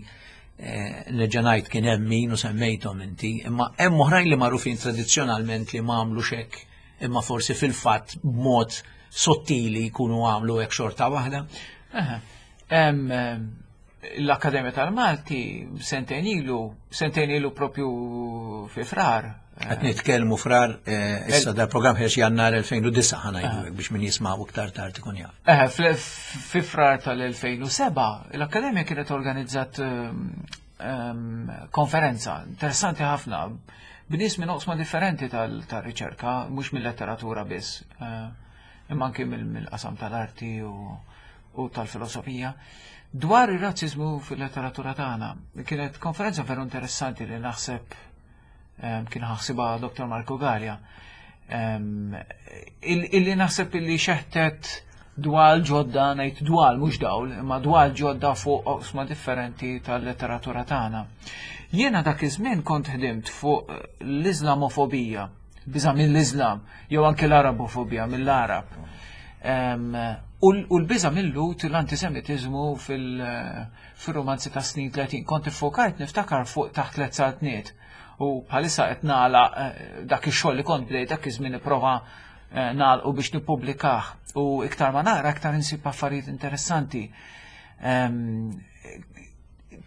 eh, nerġa' ngħid kien hemm min u semmejthom inti, imma hemm oħrajn li magħrufin tradizzjonalment li ma għamlu hekk, imma forsi fil-fatt b'mod sottili jkunu għamlu hekk xorta waħda. Eħe. Em, em, L-Akkademja tal-Malti sentejn ilu, sentejn ilu propju fi Frar. Qed nitkellmu Frar, eh, issa da programm ħiex Jannar elfejn u disgħa, ħa ngħidu hekk biex min jisma' iktar tard ikun jaf. Eh, fl- fi Frar tal-elfejn u sebgħa, l-Akkademja kienet organizzat em, em, konferenza interessanti ħafna b'nies minn oqsma differenti tal- tal-riċerka, mhux mill-letteratura biss, eh, imma anki mill- mill-qasam tal-arti u, u tal-filosofija, dwar ir-razzizmu fil-letteratura tagħna. Kienet konferenza veru interessanti li naħseb em, kien ħassiebha Doktor Marco Gallia. Em, il- Illi naħseb illi xeħtet dwal ġodda, ngħid dwal mhux dawl, imma dwal ġodda fuq oqsma differenti tal-letteratura tagħna. Jiena dak iż-żmien kont ħdimt fuq l-Iżlamofobija, biża' mill-Iżlam, jew anke l-Arabofobija mill-Arab. Em, U l- u l-biża' mill-Lhud, l-antisemitizmu fil-romanzi ta' snin tletin. Kont iffokajt, niftakar, fuq Taħt Tliet Saltniet. U bħalissa qed nagħlaq eh, dak ix-xogħol li kont bdejt dak iż-żmien, nipprova eh, nagħlqu biex nippubblikah. U iktar ma naqra, iktar insib affarijiet interessanti. Em,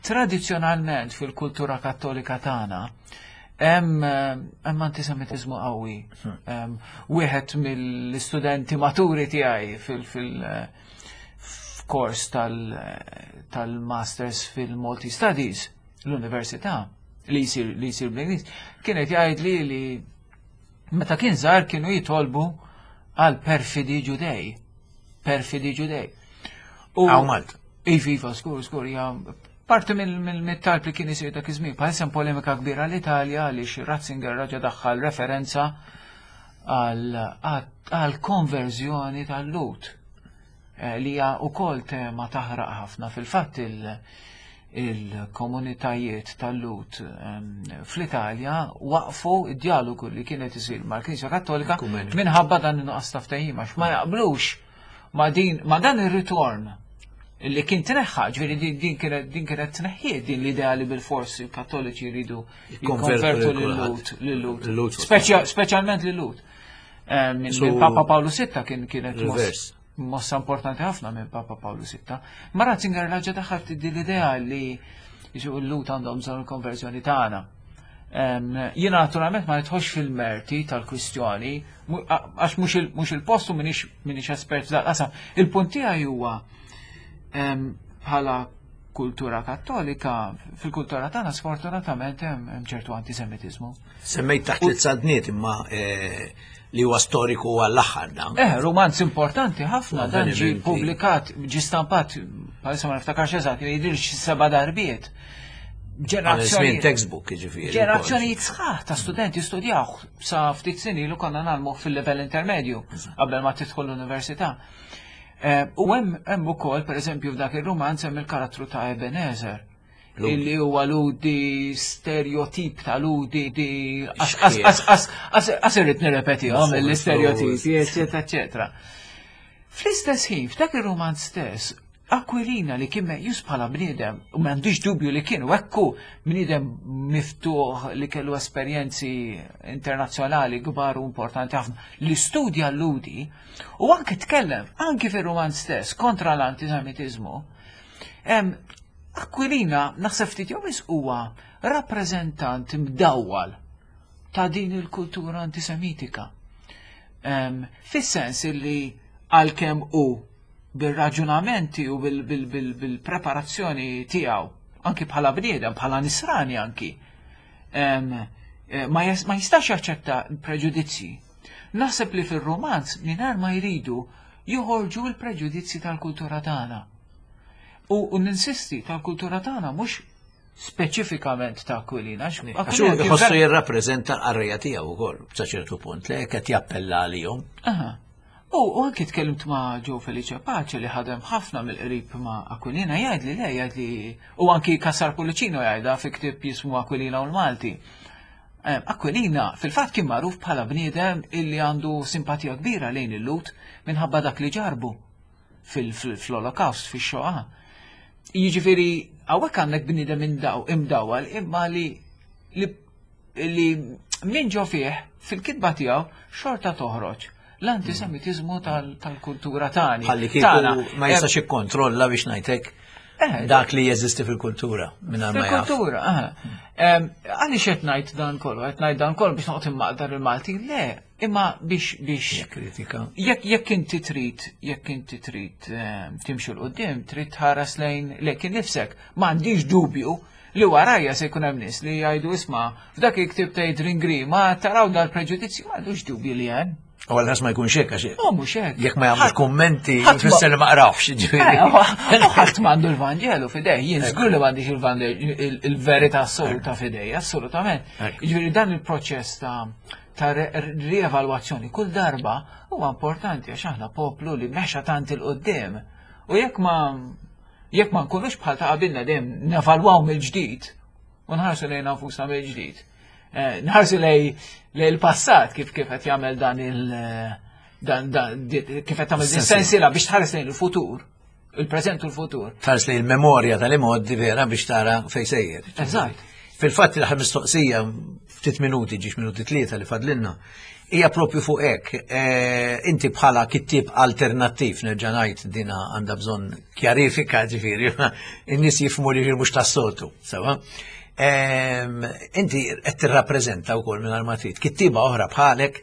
Tradizzjonalment fil-kultura kattolika tagħna hemm eh, hemm antisemitizmu qawwi. Em, Wieħed mill-istudenti maturi tiegħi fil- fil- eh, f'kors tal- tal-masters fil-Malti Studies l-università li jsir li jsir bl-Ingliż kienet jgħid li li meta kien żgħar kienu jitolbu għal perfidi Ġudej. Perfidi Ġudej. U Hawn Malta. Iva, iva, skur, skur, ja, parti mill-talb li kien isir dak iż-żmien. Bħalissa hemm polemika kbira l-Italja għaliex Ratzinger raġa daħħal referenza għal konverżjoni tal-Lhud eh, li hija wkoll tema taħraq ħafna. Fil-fatt il- il-komunitajiet tal-Lhud em, fl-Italja waqfu id-dialogu li kienet isir mal-Knisja Kattolika Ekumeniku. minħabba dan in-nuqqas ta' ftehim, għax ma jaqblux ma din ma dan ir-ritorn li kien tneħħa, ġifieri din, din kienet din kienet tneħħiet din l-idea li bil-fors il-Kattoliċi jridu jikkonvertu jikkonvertu lil lil-Lhud, lil-Lhud. Lil-Lhud. Speċja- Speċjalment lil-Lhud. Eh, Minn So- minn Papa Paolo Sitta kien kienet moss- Reverse. mossa importanti ħafna minn Papa Paolo Sitta. Ma Ratzinger raġa daħal din l-idea li jiġu l-Lhud għandhom bżonn il-konverżjoni tagħna. Jiena naturalment ma nidħolx fil-merti tal-kwistjoni, għax mhux il-post u m'iniex espert f'dal-qasam. Il-punt tiegħi huwa bħala kultura kattolika, fil-kultura tagħna sfortunatament hemm ċertu antisemitiżmu. Semmejt Taħt Tliet Saltniet imma li huwa storiku għall-aħħar dan. Eh, romanz importanti ħafna, dan ġi publikat, ġi stampat, bħalissa ma niftakarx eżatt, jidhirx seba' darbiet. Ġenerazzjoni textbook jiġifieri. Ġenerazzjonijiet sħaħ ta' studenti studjaw sa ftit snin ilu konna nagħmlu fil-level intermedju qabel ma tidħol l-università. U hemm ukoll pereżempju f'dak ir-romanz hemm il-karattru ta' Ebenezer, illi huwa ludi stereotip ta' ludi di għas irrid nirrepetihom l-istereotipi, eċetera, eċetera. Fl-istess ħin, f'dak ir-romanz stess, Aquilina li kien meqjus bħala bniedem, u m'għandix dubju li kien, u ekku bniedem miftuħ li kellu esperjenzi internazzjonali kbar u importanti ħafna, li studja l-ludi, u anke tkellem, anke fir-romanz stess, kontra l-antisemitiżmu. Aquilina, naħseb ftit jew huwa rappreżentant mdawwal ta' din il-kultura antisemitika. Fis-sens li għalkemm hu bil-raġunamenti u bil-preparazzjoni tiegħu, anki bħala bniedem, bħala nisrani anki, ma jistax jaċċetta preġudizzji. Naħseb li fir-romanz mingħajr ma jridu joħorġu l-preġudizzji tal-kultura tagħna. U ninsisti tal-kultura tagħna mhux speċifikament ta' Aquilina. Għax ħossu jirrappreżenta l-qarrejja tiegħu wkoll sa ċertu punt li qed jappella għalihom. U anki tkellimt ma' Joe Felice Pace li ħadem ħafna mill-qrib ma' Aquilina, jgħid li le, jgħid li u anki Cassar Pullicino jgħidha fi ktieb jismu Aquilina u l-Malti. Aquilina fil-fatt kien magħruf bħala bniedem illi għandu simpatija kbira lejn il-Lut minħabba dak li ġarbu fil-Holocaust, fix-Xoa. Jiġifieri hawnhekk għandek bniedem imdawwal imma li li minn ġo fih fil-kitba tiegħu xorta toħroġ l-antisemitizmu tal-kultura tagħna. Ħalli kieku ma jistax ikkontrolla biex ngħidlek dak li jeżisti fil-kultura mingħajr ma jaf. Fil-kultura, għaliex qed ngħid dan kollu, qed ngħid dan kollu biex noqgħod immaqdar il-Malti, le, imma biex biex kritika. Jekk jekk inti trid, jekk inti trid timxi 'l quddiem, trid tħares lejn lejk innifsek. M'għandix dubju li warajja se jkun hemm nies li jgħidu isma' f'dak il-ktieb ta' Adrian Grima taraw dal-preġudizzju, m'għandux dubju li hemm. U għal ma jkunx hekk għax. Oh, mhux hekk. Jekk ma jagħmlux kummenti jfisser li ma qrawx, ġifieri. Ħadd m'għandu l-Vanġelu f'idej, jien żgur li m'għandix il-verità assoluta f'idej, assolutament. Jiġifieri dan il-proċess ta' ta' rievalwazzjoni kull darba huwa importanti għax aħna poplu li mexa tant il quddiem. U jekk ma jekk ma nkunux bħal ta' qabilna dejjem nevalwaw mill-ġdid u nħarsu lejn nfusna mill-ġdid. Nħarsu lej il-passat kif kif qed jagħmel dan il dan dan kif qed tagħmel din sensiela biex tħares lejn il-futur, il-preżent u l-futur. Tħares lejn il-memorja tal-imgħoddi vera biex tara fejn sejjer. Eżatt. Fil-fatt l-aħħar mistoqsija ftit minuti, ġiex minuti tlieta li fadlilna, hija propju fuq hekk. Inti bħala kittieb alternattiv, nerġa' ngħid dina għandha bżonn kjarifika, ġifieri, in-nies jifhmu li mhux tas-soltu, sewa. Inti qed tirrappreżenta wkoll mingħajr ma trid kittieba oħra bħalek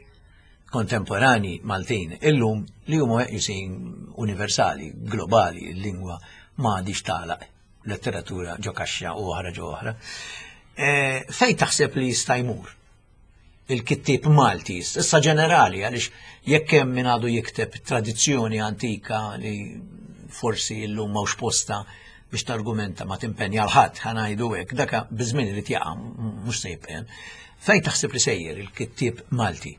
kontemporani Maltin illum li huma meqjusin universali, globali, il-lingwa ma għadix tagħlaq letteratura ġo kaxxa u oħra ġo oħra. Fejn taħseb li jista' jmur il-kittieb Malti, issa ġenerali, għaliex jekk hemm min għadu jikteb tradizzjoni antika li forsi llum m'hawnx posta biex targumenta ma timpenja l-ħadd, ħa ngħidu hekk, daka biż-żmien irid jaqa' mhux se jibqa'. Fejn taħseb li sejjer il-kittieb Malti?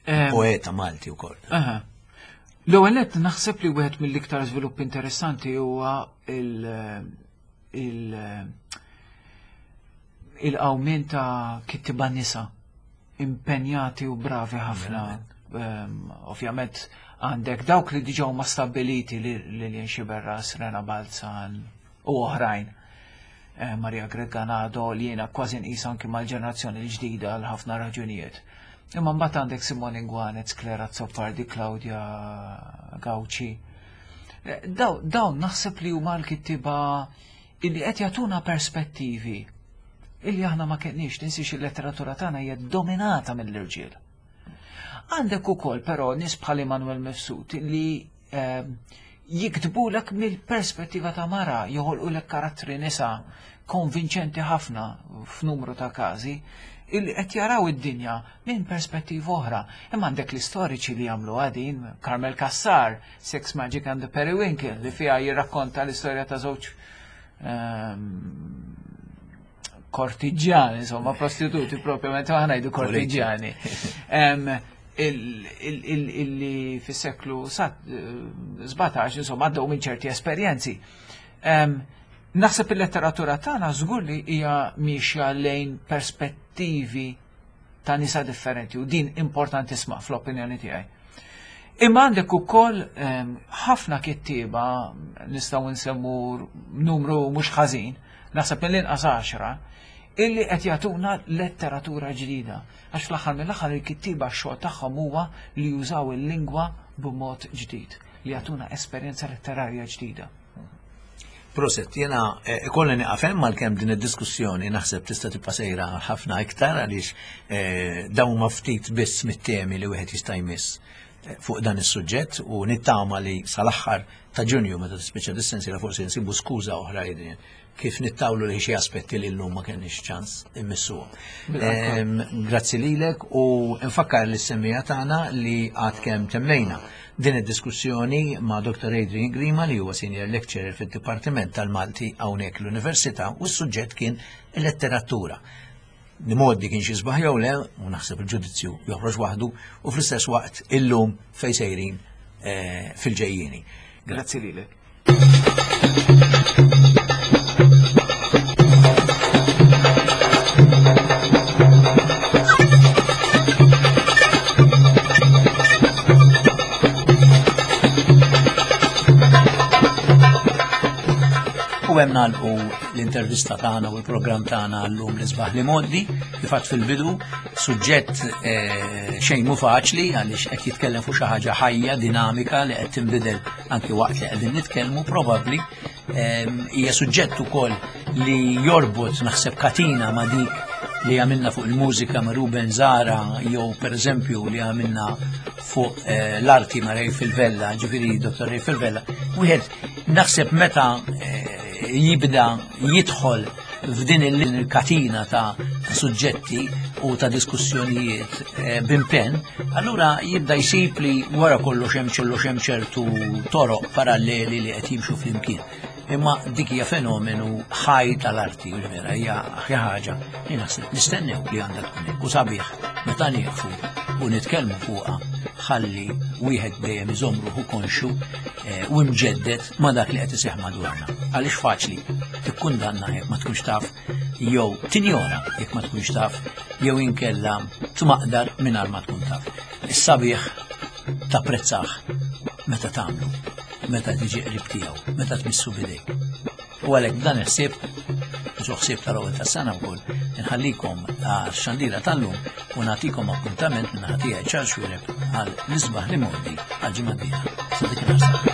Poeta Malti wkoll. L-ewwel nett naħseb li wieħed mill-iktar żvilupp interessanti huwa il il-qawmien ta' kittieba nisa impenjati u bravi ħafna. Ovvjament għandek dawk li diġà huma stabbiliti, Lilian Sciberras, Rena Balzan u oħrajn. Maria Grech Ganado li jiena kważi nqis anki mal-ġenerazzjoni l-ġdida għal ħafna raġunijiet. Imma mbagħad għandek Simone Inguanez, Claire Azzopardi, Claudia Gauci. Dawn naħseb li huma l-kittieba illi qed jagħtuna perspettivi Illi aħna ma kenniex, tinsiex il-letteratura tagħna hija dominata mill-irġiel. Għandek ukoll però nies bħal Immanuel Mifsud li ehm, jiktbulek mill-perspettiva ta' mara, joħolqulek karattri nisa konvinċenti ħafna f'numru ta' każi, illi qed jaraw id-dinja minn perspettiva oħra. Imma għandek l-istoriċi li jagħmlu għadin, Carmel Cassar, Sex Magic and the Periwinkle, li fiha jirrakkonta l-istorja ta' żewġ ehm, kortiġjani, insomma, prostituti propjament, aħna ngħidu kortiġjani. Em, il- il- il- Illi fis-seklu sbatax, insomma, għaddew minn ċerti esperjenzi. Em, Naħseb il-letteratura tagħna żgur li hija miexja lejn perspettivi ta' nisa differenti u din importantisma fl-opinjoni tiegħi. Imma għandek ukoll em, ħafna kittieba, nistgħu nsemmu numru mhux ħażin, naħseb mill-inqas għaxra, illi qed jagħtuna letteratura ġdida. Għax fl-aħħar mill-aħħar il-kittieba x-xogħol tagħhom huwa li jużaw il-lingwa b'mod ġdid, li jagħtuna esperjenza letterarja ġdida. Prosit, jena eh, ikolli nieqaf hemm għalkemm din id-diskussjoni naħseb tista' tibqa' sejra ħafna iktar għaliex eh, dawn ma ftit biss mit-temi li wieħed jista' jmiss eh, fuq dan is-suġġett u nittama li sal-aħħar ta' Ġunju meta tispiċċa dis-sensiela forsi nsibu skuża oħra Adrian kif nittawlu li xi aspetti li llum ma kenniex ċans immissuhom. Em, Grazzi lilek u nfakkar lis-semmiegħa tagħna li għad kemm temmejna din id-diskussjoni ma' Dottor Adrian Grima li huwa senior lecturer fid-Dipartiment tal-Malti hawnhekk l-Università u s-suġġett kien letteratura. L-imgħoddi kien xi sbaħ jew le, u naħseb il-ġudizzju joħroġ waħdu, u fl-istess waqt illum fejn sejrin eh, fil-ġejjieni. Grazzi lilek. U hemm nagħlqu l-intervista tagħna u l-programm tagħna llum l-isbaħ l-imgħoddi, kif għedt fil-bidu, suġġett eh, xejn mhu faċli għaliex qed jitkellem fuq xi ħaġa ħajja, dinamika li qed tinbidel anki waqt li qegħdin nitkellmu probabbli ehm, hija suġġett ukoll li jorbot naħseb katina ma' dik li għamilna fuq il-mużika ma' Ruben Zara jew pereżempju li għamilna fuq eh, l-arti ma' Ray Filvella, ġifieri Dottor Ray Filvella. Wieħed naħseb meta eh, jibda jidħol f'din il-katina ta' suġġetti u ta' diskussjonijiet eh, b'impenn, allura jibda jsib li wara kollox hemm kollox hemm ċertu toroq paralleli li qed jimxu flimkien. Imma dik hija fenomenu ħaj tal-arti, u vera hija xi ħaġa li naħseb nistennew li għandha tkun hekk u sabiħ meta nieqfu u nitkellmu fuqha ħalli wieħed dejjem iżomm ruħu konxu eh, u mġeddet ma' dak li qed iseħħ madwarna. Għaliex faċli tikkundanna jekk ma tkunx taf jew tinjora jekk ma tkunx taf jew inkella tmaqdar mingħajr ma tkun taf. Is-sabiħ tapprezzah meta tagħmlu, meta tiġi qrib tiegħu, meta tmissu bidejk. U għalhekk dan il-ħsieb, ġo ħsieb tal-ewwel tas-sena wkoll, inħallikom għax-xandira tal-lum u nagħtikom appuntament minn ħatija Charles Xuereb għal l-isbaħ l-imgħoddi għal ġimgħa d-dieħla. Sa dik il